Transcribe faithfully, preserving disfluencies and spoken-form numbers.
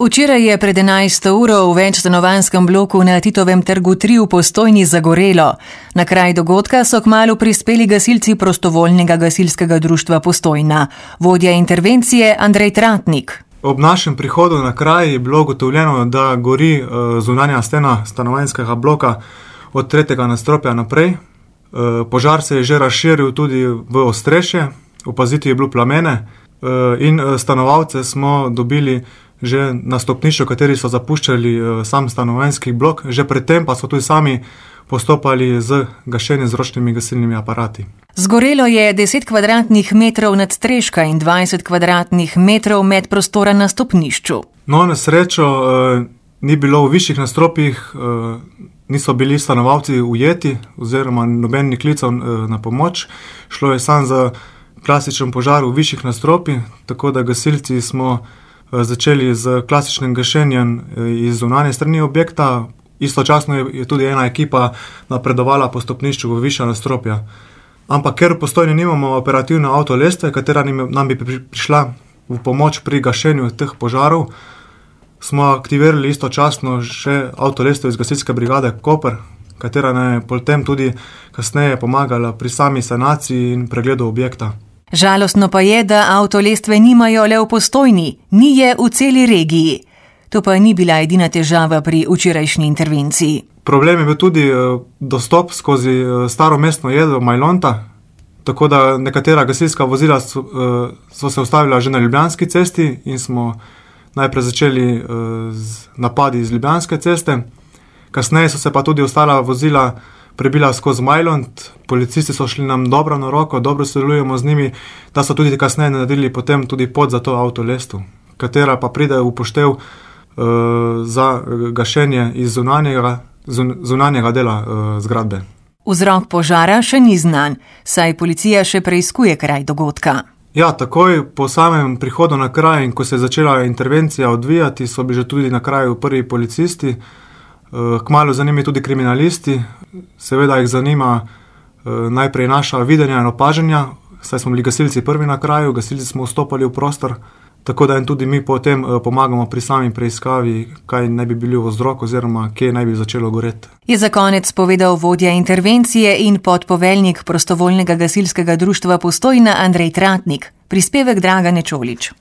Včeraj je pred enajsto uro v večstanovanjskem bloku na Titovem trgu tri v Postojni zagorelo. Na kraj dogodka so kmalu prispeli gasilci prostovoljnega gasilskega društva Postojna. Vodja intervencije Andrej Tratnik. Ob našem prihodu na kraj je bilo ugotovljeno, da gori zunanja stena stanovanjskega bloka od tretjega nadstropja naprej. Požar se je že razširil tudi v ostrešje, opaziti je bilo plamene in stanovalce smo dobili že na stopnišču, kateri so zapuščali sam stanovanjski blok, že predtem pa so tudi sami postopali z gašenjem z ročnimi gasilnimi aparati. Zgorelo je deset kvadratnih metrov nadstreška in dvajset kvadratnih metrov medprostora na stopnišču. No, na srečo eh, ni bilo v višjih nadstropjih, eh, niso bili stanovalci ujeti oziroma noben ni klical eh, na pomoč. Šlo je samo za klasičen požar v višjih nadstropjih, tako da gasilci smo začeli z klasičnim gašenjem iz zunanje strani objekta. Istočasno je tudi ena ekipa napredovala po stopnišču v višja nadstropja. Ampak ker v Postojni nimamo operativne avtolestve, katera nam bi prišla v pomoč pri gašenju teh požarov, smo aktivirali istočasno še avtolestve iz gasilske brigade Koper, katera nam je potem tudi kasneje pomagala pri sami sanaciji in pregledu objekta. Žalostno pa je, da avtolestve nimajo le v Postojni, ni je v celi regiji. To pa ni bila edina težava pri včerajšnji intervenciji. Problem je bil tudi dostop skozi staro mestno jedro Majlonta, tako da nekatera gasilska vozila so, so se ustavila že na Ljubljanski cesti in smo najprej začeli z napadi iz Ljubljanske ceste. Kasneje so se pa tudi ostala vozila prebila skozi Majlont, policisti so šli nam dobro na roko, dobro sodelujemo z njimi, da so tudi kasneje naredili potem tudi pot za to avtolestu, katera pa pride v upoštev uh, za gašenje iz zunanjega, zun, zunanjega dela uh, zgradbe. Vzrok požara še ni znan, saj policija še preiskuje kraj dogodka. Ja, takoj po samem prihodu na kraj in ko se je začela intervencija odvijati, so bili že tudi na kraju prvi policisti. Kmalu za njimi tudi kriminalisti, seveda jih zanima najprej naša videnja in opažanja, saj smo bili gasilci prvi na kraju, gasilci smo vstopali v prostor, tako da jim tudi mi potem pomagamo pri sami preiskavi, kaj naj bi bili vzrok oziroma kje naj bi začelo goreti. Je za konec povedal vodja intervencije in podpoveljnik prostovoljnega gasilskega društva Postojna Andrej Tratnik. Prispevek Dragane Čolić.